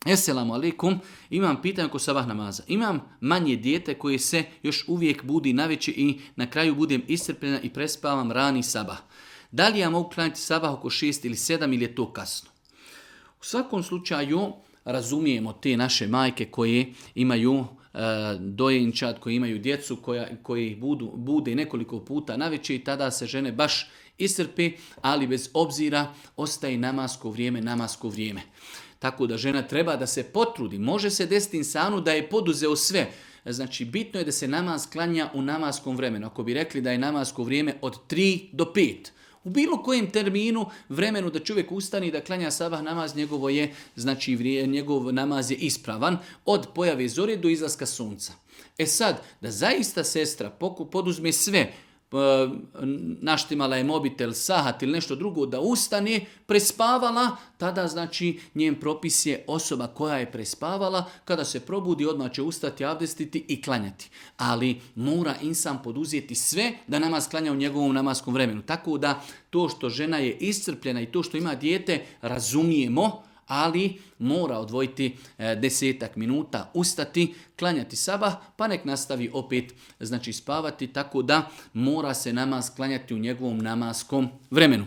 Esselamu alaikum, imam pitanje oko sabah namaza. Imam manje dijete koje se još uvijek budi navečer i na kraju budem iscrpljena i prespavam rani sabah. Da li ja mogu klanjati sabah oko 6 ili 7 ili je to kasno? U svakom slučaju razumijemo te naše majke koje imaju dojenčad, koji imaju djecu koji bude nekoliko puta navečer i tada se žene baš iscrpe, ali bez obzira ostaje namasko vrijeme. Tako da žena treba da se potrudi. Može se desiti insanu da je poduzeo sve. Znači, bitno je da se namaz klanja u namaskom vremenu. Ako bi rekli da je namasko vrijeme od 3 do 5, u bilo kojem terminu, vremenu da čovjek ustane i da klanja sabah namaz, njegov namaz je ispravan od pojave zore do izlaska sunca. E sad, da zaista sestra poduzme sve, naštimala je mobitel, sahat ili nešto drugo, da ustane, prespavala, tada znači njen propis je osoba koja je prespavala, kada se probudi odmah će ustati, abdestiti i klanjati. Ali mora insan poduzeti sve da namaz klanja u njegovom namaskom vremenu. Tako da to što žena je iscrpljena i to što ima dijete razumijemo, ali mora odvojiti 10 minuta, ustati, klanjati sabah, pa nek nastavi opet spavati, tako da mora se namaz klanjati u njegovom namaskom vremenu.